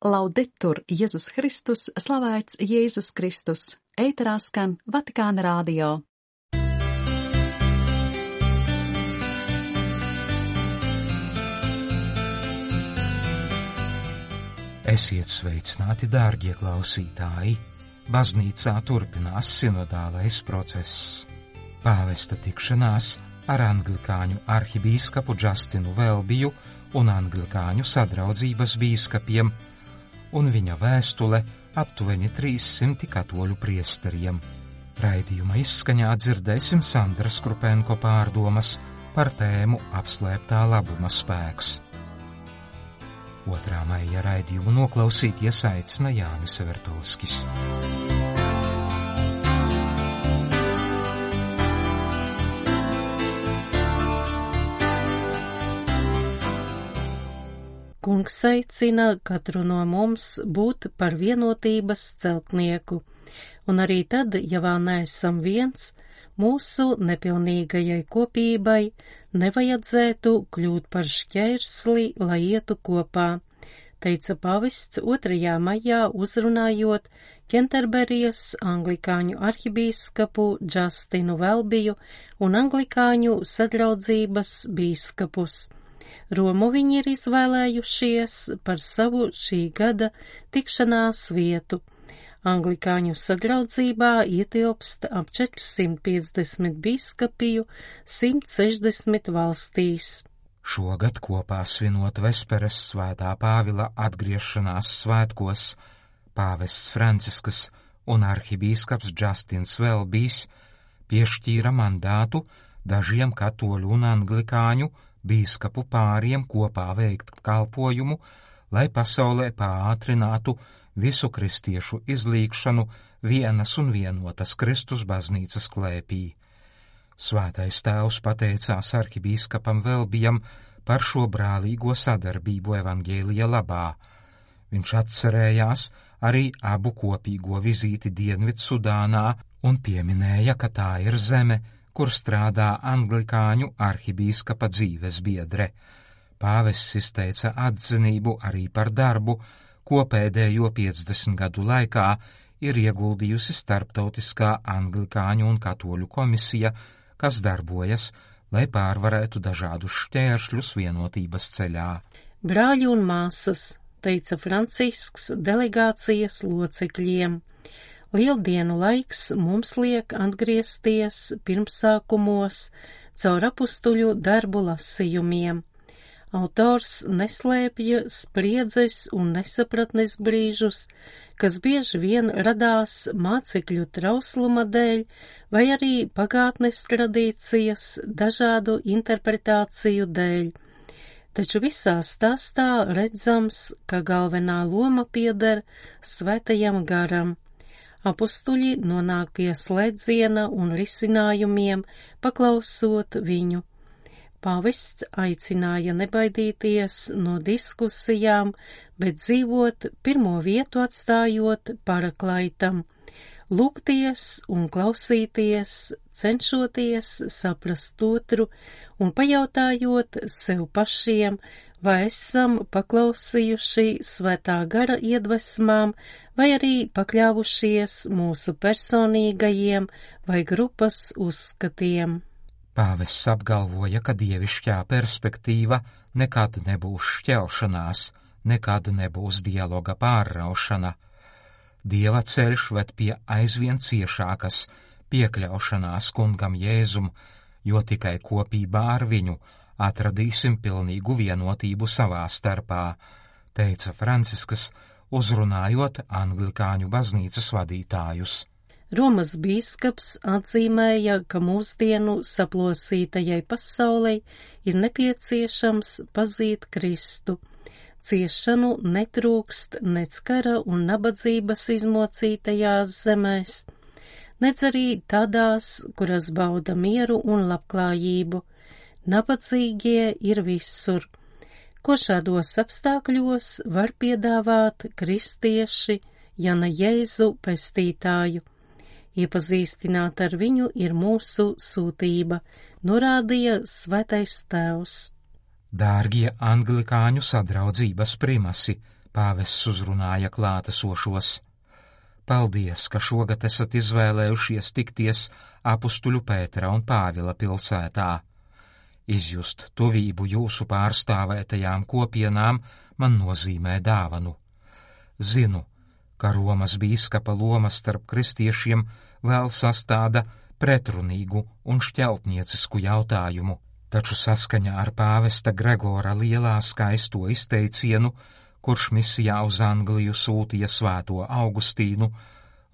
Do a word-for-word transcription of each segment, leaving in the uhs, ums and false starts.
Laudetur Jēzus Kristus, slavēts Jēzus Kristus, ēterā skan Vatikāna radio. Esiet sveicināti, dārgie klausītāji! Baznīcā turpinās sinodālais process. Pāvesta tikšanās ar anglikāņu arhibīskapu Justinu Welbiju un anglikāņu sadraudzības bīskapiem un viņa vēstule aptuveni trīssimti katoļu priesteriem. Raidījuma izskaņā dzirdēsim Sandras Krupenko pārdomas par tēmu apslēptā labuma spēks. otrā maija raidījumu noklausīties aicina Jānis Vertovskis. Kungs aicina katru no mums būt par vienotības celtnieku, un arī tad, ja vēl neesam viens, mūsu nepilnīgajai kopībai nevajadzētu kļūt par šķērsli, lai ietu kopā, teica pavests otrajā maijā uzrunājot Kenterberijas anglikāņu arhibīskapu Justinu Welbiju un anglikāņu sadraudzības bīskapus. Romu viņi ir izvēlējušies par savu šī gada tikšanās vietu. Anglikāņu sadraudzībā ietilpst ap četrsimt piecdesmit bīskapiju simt sešdesmit valstīs. Šogad kopā svinot Vesperes svētā Pāvila atgriešanās svētkos, pāvests Francisks un arhibīskaps Justins Welbijs piešķīra mandātu dažiem katoļu un anglikāņu bīskapu pāriem kopā veikt kalpojumu, lai pasaulē pātrinātu visu kristiešu izlīgšanu vienas un vienotas Kristus baznīcas klēpī. Svētais tēvs pateicās arhibīskapam Welbijam par šo brālīgo sadarbību evaņģēlija labā. Viņš atcerējās arī abu kopīgo vizīti Dienvidsudānā un pieminēja, ka tā ir zeme, kur strādā anglikāņu arhibīskapa dzīves biedre. Pāvests izteica atzinību arī par darbu, ko pēdējo piecdesmit gadu laikā ir ieguldījusi starptautiskā anglikāņu un katoļu komisija, kas darbojas, lai pārvarētu dažādus šķēršļus vienotības ceļā. Brāļi un māsas, teica Francisks delegācijas locekļiem. Lieldienu laiks mums liek atgriezties pirmsākumos caur apustuļu darbu lasījumiem. Autors neslēpja spriedzes un nesapratnes brīžus, kas bieži vien radās mācekļu trausluma dēļ vai arī pagātnes tradīcijas dažādu interpretāciju dēļ. Taču visā stāstā redzams, ka galvenā loma pieder svētajam garam. Apustuļi nonāk pie slēdziena un risinājumiem, paklausot viņu. Pāvests aicināja nebaidīties no diskusijām, bet dzīvot pirmo vietu atstājot paraklaitam, lūgties un klausīties, cenšoties saprast otru un pajautājot sev pašiem, vai esam paklausījuši svētā gara iedvesmām, vai arī pakļāvušies mūsu personīgajiem vai grupas uzskatiem. Pāvests apgalvoja, ka dievišķā perspektīva nekad nebūs šķelšanās, nekad nebūs dialoga pārraušana. Dieva ceļš ved pie aizvien ciešākas piekļaušanās kungam Jēzum, jo tikai kopībā ar viņu atradīsim pilnīgu vienotību savā starpā, teica Francisks, uzrunājot anglikāņu baznīcas vadītājus. Romas bīskaps atzīmēja, ka mūsdienu saplosītajai pasaulei ir nepieciešams pazīt Kristu. Ciešanu netrūkst nec kara un nabadzības izmocītajās zemēs, nec arī tādās, kuras bauda mieru un labklājību. Nabadzīgie ir visur. Ko šādos apstākļos var piedāvāt kristieši, ja ne Jēzu pestītāju? Iepazīstināt ar viņu ir mūsu sūtība, norādīja svētais tēvs. Dārgie anglikāņu sadraudzības primasi, Pāvests uzrunāja klātesošos. Paldies, ka šogad esat izvēlējušies tikties apustuļu Pētera un Pāvila pilsētā. Izjust tuvību jūsu pārstāvētajām kopienām man nozīmē dāvanu. Zinu, ka Romas bīskapa loma starp kristiešiem vēl sastāda pretrunīgu un šķeltniecisku jautājumu, taču saskaņā ar pāvesta Gregora lielā skaisto izteicienu, kurš misijā uz Angliju sūtīja svēto Augustīnu,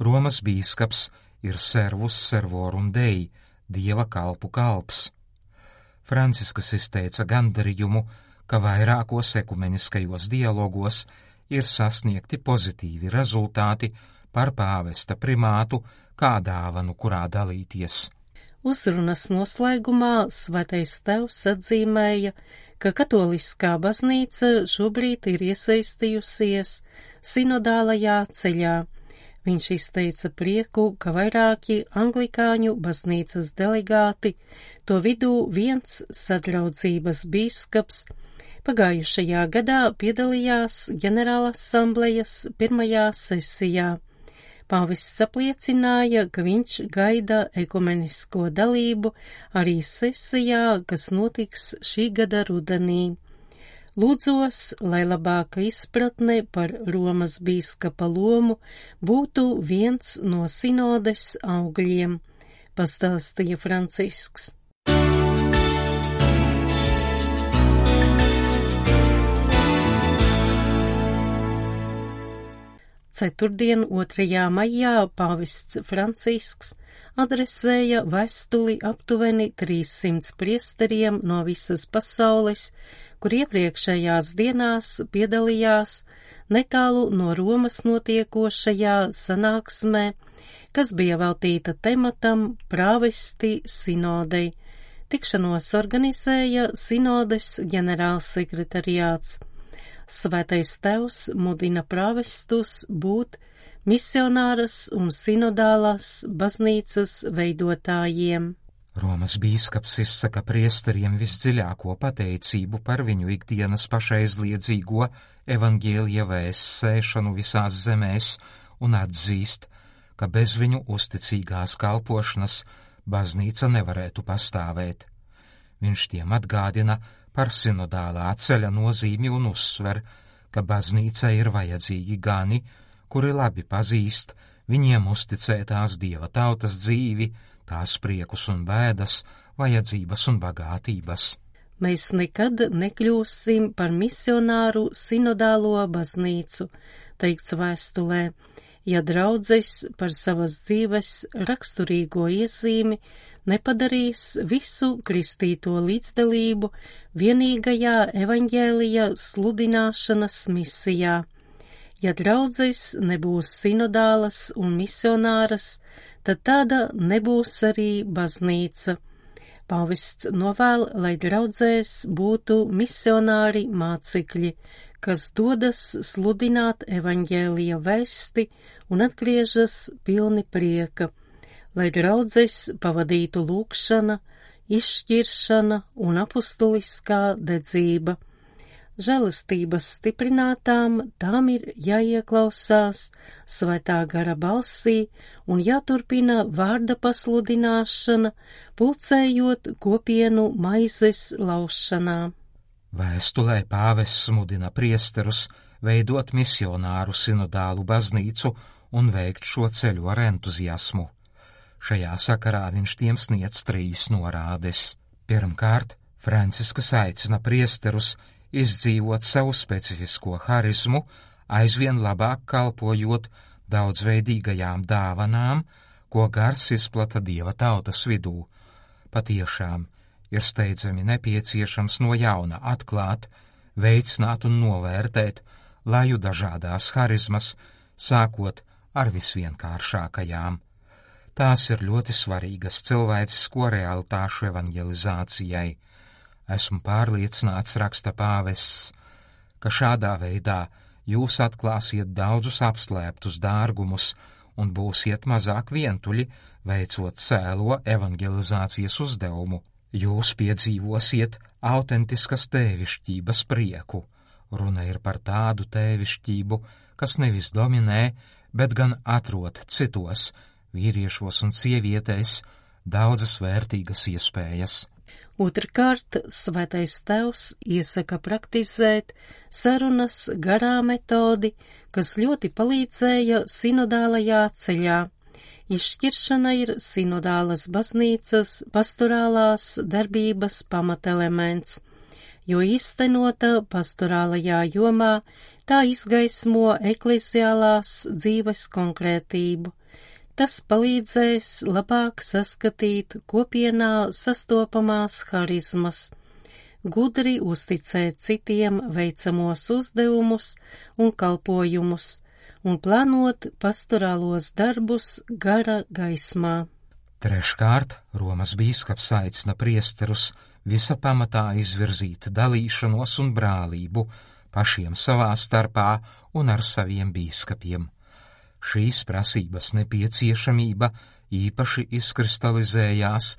Romas bīskaps ir servus servorum Dei, dieva kalpu kalps. Franciskas izteica gandarījumu, ka vairākos ekumeniskajos dialogos ir sasniegti pozitīvi rezultāti par pāvesta primātu kā dāvanu, kurā dalīties. Uzrunas noslēgumā Svētais Tēvs atzīmēja, ka katoliskā baznīca šobrīd ir iesaistījusies sinodālajā ceļā. Viņš izteica prieku, ka vairāki anglikāņu baznīcas delegāti, to vidū viens sadraudzības bīskaps, pagājušajā gadā piedalījās ģenerālasamblejas pirmajā sesijā. Pāvests apliecināja, ka viņš gaida ekumenisko dalību arī sesijā, kas notiks šī gada rudenī. Lūdzos, lai labāka izpratne par Romas bīskapa lomu būtu viens no sinodes augļiem, pastāstīja Francisks. Ceturtdien, otrajā maijā, pāvests Francisks adresēja vēstuli aptuveni trīssimts priesteriem no visas pasaules, kur iepriekšējās dienās piedalījās netālu no Romas notiekošajā sanāksmē, kas bija veltīta tematam prāvesti sinodei. Tikšanos organizēja sinodes ģenerālsekretariāts. Svētais Tēvs mudina prāvestus būt misionāras un sinodālās baznīcas veidotājiem. Romas bīskaps izsaka priesteriem visdziļāko pateicību par viņu ikdienas pašaizliedzīgo evaņģēlija vēsts sēšanu visās zemēs un atzīst, ka bez viņu uzticīgās kalpošanas baznīca nevarētu pastāvēt. Viņš tiem atgādina par sinodālā ceļa nozīmi un uzsver, ka baznīca ir vajadzīgi gani, kuri labi pazīst viņiem uzticētās dieva tautas dzīvi, tās priekus un bēdas, vajadzības un bagātības. Mēs nekad nekļūsim par misionāru sinodālo baznīcu, teikts vēstulē, ja draudzes par savas dzīves raksturīgo iezīmi nepadarīs visu kristīto līdzdalību vienīgajā evaņģēlija sludināšanas misijā. Ja draudzes nebūs sinodālas un misionāras, tad tāda nebūs arī baznīca. Pāvests novēl, lai draudzēs būtu misionāri mācekļi, kas dodas sludināt evaņģēlija vēsti un atgriežas pilni prieka, lai draudzes pavadītu lūgšana, izšķiršana un apustuliskā dedzība. Žēlastības stiprinātām tām ir jāieklausās svētā gara balsī un jāturpina vārda pasludināšana, pulcējot kopienu maizes laušanā. Vēstulē pāvests mudina priesterus veidot misionāru sinodālu baznīcu un veikt šo ceļu ar entuziasmu. Šajā sakarā viņš tiem sniedz trīs norādes. Pirmkārt, Franciskas aicina priesterus izdzīvot savu specifisko harizmu, aizvien labāk kalpojot daudzveidīgajām dāvanām, ko gars izplata dieva tautas vidū. Patiešām ir steidzami nepieciešams no jauna atklāt, veicināt un novērtēt laju dažādās harizmas, sākot ar visvienkāršākajām. Tās ir ļoti svarīgas cilvēcisko realitāšu evanģelizācijai. Esmu pārliecināts, raksta pāvests, ka šādā veidā jūs atklāsiet daudzus apslēptus dārgumus un būsiet mazāk vientuļi, veicot cēlo evanģelizācijas uzdevumu. Jūs piedzīvosiet autentiskas tēvišķības prieku, Runa ir par tādu tēvišķību, kas nevis dominē, bet gan atrod citos, vīriešos un sievietēs, daudzas vērtīgas iespējas. Otrkārt, Svētais Tēvs iesaka praktizēt sarunas garā metodi, kas ļoti palīdzēja sinodālajā ceļā. Izšķiršana ir sinodālas baznīcas pastorālās darbības pamatelements, jo īstenota pastorālajā jomā tā izgaismo ekleziālās dzīves konkrētību. Tas palīdzēs labāk saskatīt kopienā sastopamās harizmas, gudri uzticēt citiem veicamos uzdevumus un kalpojumus un plānot pastorālos darbus gara gaismā. Treškārt, Romas bīskaps aicina priesterus visa pamatā izvirzīt dalīšanos un brālību pašiem savā starpā un ar saviem bīskapiem. Šīs prasības nepieciešamība īpaši izkristalizējās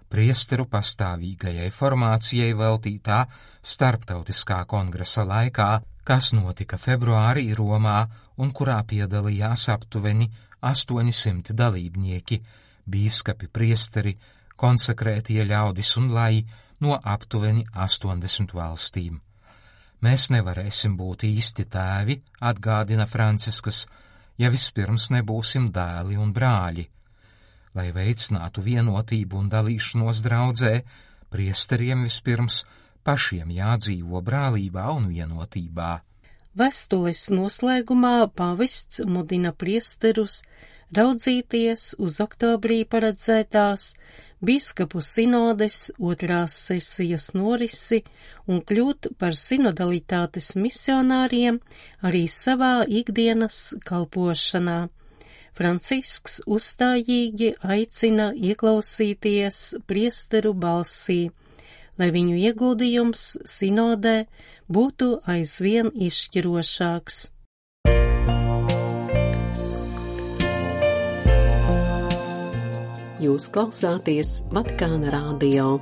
priesteru pastāvīgajai formācijai veltītā starptautiskā kongresa laikā, kas notika februārī Romā un kurā piedalījās aptuveni astoņi simti dalībnieki, bīskapi, priesteri, konsekrētie ļaudis un lai no aptuveni astoņdesmit valstīm. Mēs nevarēsim būt īsti tēvi, atgādina Franciskas, ja vispirms nebūsim dēli un brāļi. Lai veicinātu vienotību un dalīšanos draudzē, priesteriem vispirms pašiem jādzīvo brālībā un vienotībā. Vēstules noslēgumā pāvests mudina priesterus raudzīties uz oktobrī paredzētās bīskapu sinodes otrās sesijas norisi un kļūt par sinodalitātes misionāriem arī savā ikdienas kalpošanā. Francisks uzstājīgi aicina ieklausīties priesteru balsī, lai viņu ieguldījums sinodē būtu aizvien izšķirošāks. Jūs klausāties Vatikāna radio.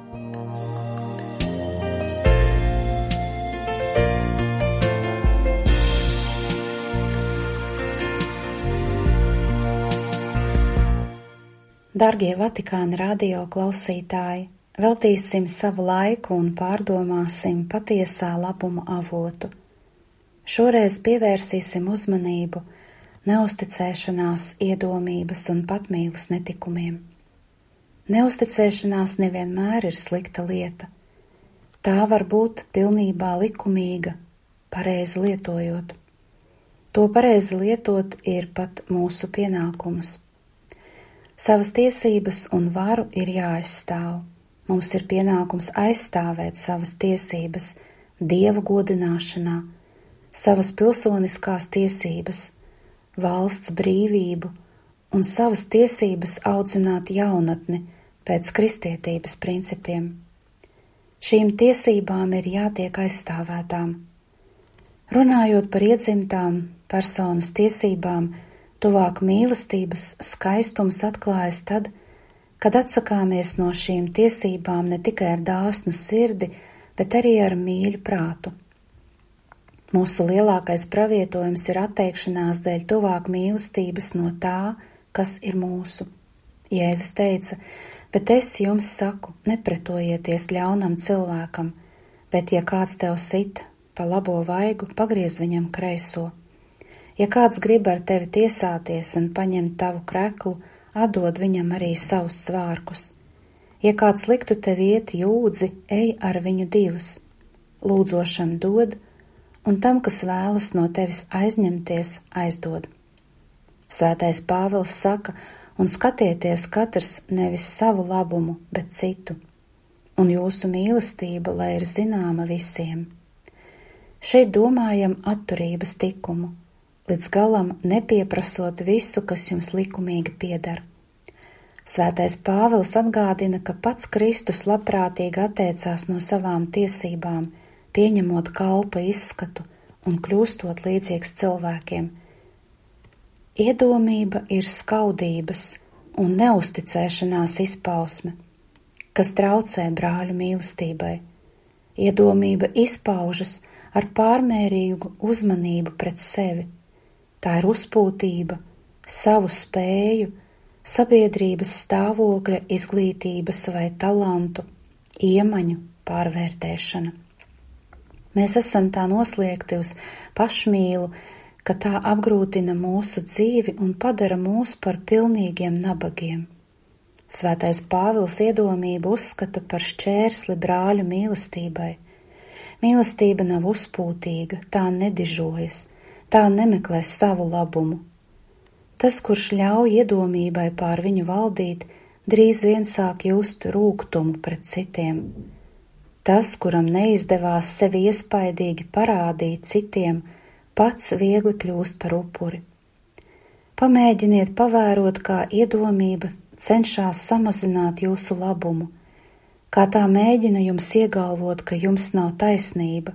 Dargie Vatikāna radio klausītāji, veltīsim savu laiku un pārdomāsim patiesā labuma avotu. Šoreiz pievērsīsim uzmanību neusticēšanās, iedomības un patmīles netikumiem. Neusticēšanās nevienmēr ir slikta lieta. Tā var būt pilnībā likumīga, pareizi lietojot. To pareizi lietot ir pat mūsu pienākums. Savas tiesības un varu ir jāaizstāv. Mums ir pienākums aizstāvēt savas tiesības Dieva godināšanā, savas pilsoniskās tiesības, valsts brīvību un savas tiesības audzināt jaunatni pēc kristietības principiem. Šīm tiesībām ir jātiek aizstāvētām. Runājot par iedzimtām personas tiesībām, tuvāk mīlestības skaistums atklājas tad, kad atsakāmies no šīm tiesībām ne tikai ar dāsnu sirdi, bet arī ar mīļu prātu. Mūsu lielākais pravietojums ir atteikšanās dēļ tuvāk mīlestības no tā, kas ir mūsu. Jēzus teica, bet es jums saku, nepretojieties ļaunam cilvēkam, bet ja kāds tev sit pa labo vaigu, pagriez viņam kreiso. Ja kāds grib ar tevi tiesāties un paņemt tavu kreklu, atdod viņam arī savus svārkus. Ja kāds liktu tev iet jūdzi, ej ar viņu divas. Lūdzošam dod, un tam, kas vēlas no tevis aizņemties, aizdod. Svētais Pāvils saka, un skatieties katrs nevis savu labumu, bet citu, un jūsu mīlestība, lai ir zināma visiem. Šeit domājam atturības tikumu, līdz galam nepieprasot visu, kas jums likumīgi pieder. Svētais Pāvils atgādina, ka pats Kristus labprātīgi atteicās no savām tiesībām, pieņemot kalpa izskatu un kļūstot līdzīgs cilvēkiem. Iedomība ir skaudības un neusticēšanās izpausme, kas traucē brāļu mīlestībai. Iedomība izpaužas ar pārmērīgu uzmanību pret sevi. Tā ir uzpūtība, savu spēju, sabiedrības stāvokļa, izglītības vai talantu, iemaņu pārvērtēšana. Mēs esam tā noslēgti uz pašmīlu, ka tā apgrūtina mūsu dzīvi un padara mūs par pilnīgiem nabagiem. Svētais Pāvils iedomību uzskata par šķērsli brāļu mīlestībai. Mīlestība nav uzpūtīga, tā nedižojas, tā nemeklē savu labumu. Tas, kurš ļauj iedomībai pār viņu valdīt, drīz vien sāk just rūgtumu pret citiem. Tas, kuram neizdevās sevi iespaidīgi parādīt citiem, pats viegli kļūst par upuri. Pamēģiniet pavērot, kā iedomība cenšas samazināt jūsu labumu, kā tā mēģina jums iegalvot, ka jums nav taisnība,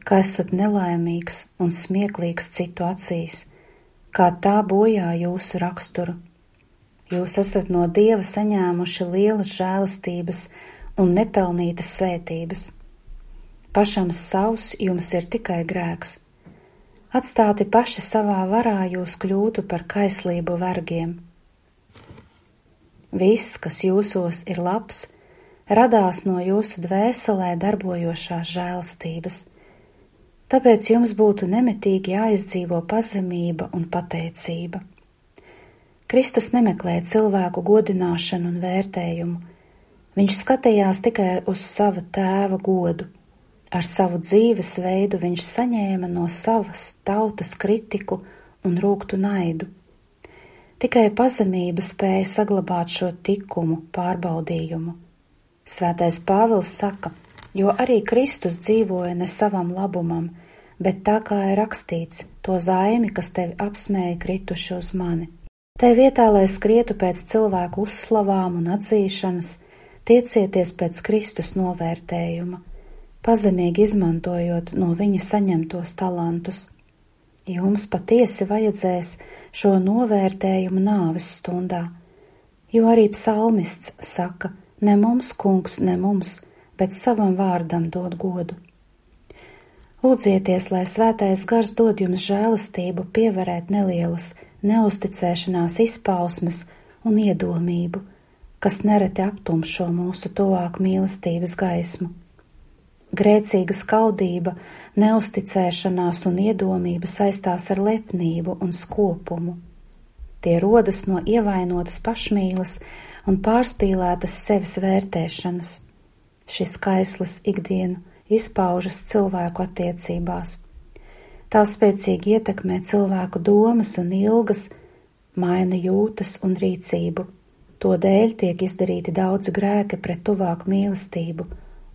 ka esat nelaimīgs un smieklīgs citu acīs, kā tā bojā jūsu raksturu. Jūs esat no Dieva saņēmuši lielas žēlastības un nepelnītas svētības. Pašam savs jums ir tikai grēks. Atstāti paši savā varā jūs kļūtu par kaislību vergiem. Viss, kas jūsos ir labs, radās no jūsu dvēselē darbojošās žēlastības. Tāpēc jums būtu nemitīgi jāizdzīvo pazemība un pateicība. Kristus nemeklē cilvēku godināšanu un vērtējumu. Viņš skatījās tikai uz sava tēva godu. Ar savu dzīves veidu viņš saņēma no savas tautas kritiku un rūgtu naidu. Tikai pazemība spēja saglabāt šo tikumu pārbaudījumu. Svētais Pāvils saka, jo arī Kristus dzīvoja ne savam labumam, bet tā kā ir rakstīts, to zaimi, kas tevi apsmēja, krituši uz mani. Tai vietā, lai skrietu pēc cilvēku uzslavām un atzīšanas, tiecieties pēc Kristus novērtējuma, pazemīgi izmantojot no viņa saņemtos talantus. Jums patiesi vajadzēs šo novērtējumu nāves stundā, jo arī psalmists saka, ne mums, kungs, ne mums, bet savam vārdam dod godu. Lūdzieties, lai svētais gars dod jums žēlastību pievērēt nelielas neusticēšanās izpausmes un iedomību, kas nereti aptumšo mūsu tuvāku mīlestības gaismu. Grēcīga skaudība, neusticēšanās un iedomība saistās ar lepnību un skopumu. Tie rodas no ievainotas pašmīlas un pārspīlētas sevis vērtēšanas. Šis kaislis ikdienu izpaužas cilvēku attiecībās. Tā spēcīgi ietekmē cilvēku domas un ilgas, maina jūtas un rīcību. To dēļ tiek izdarīti daudz grēki pret tuvāku mīlestību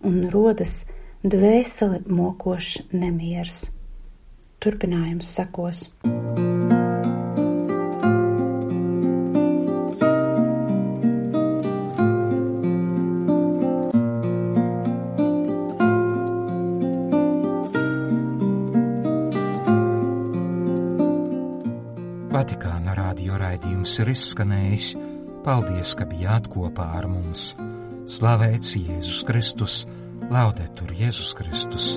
un rodas dvēseli mokošs nemiers. Turpinājums sekos. Vatikāna radio raidījums ir izskanējis. Paldies, ka bijāt kopā ar mums. Slavēts Jēzus Kristus, Laudetur Jēzus Kristus.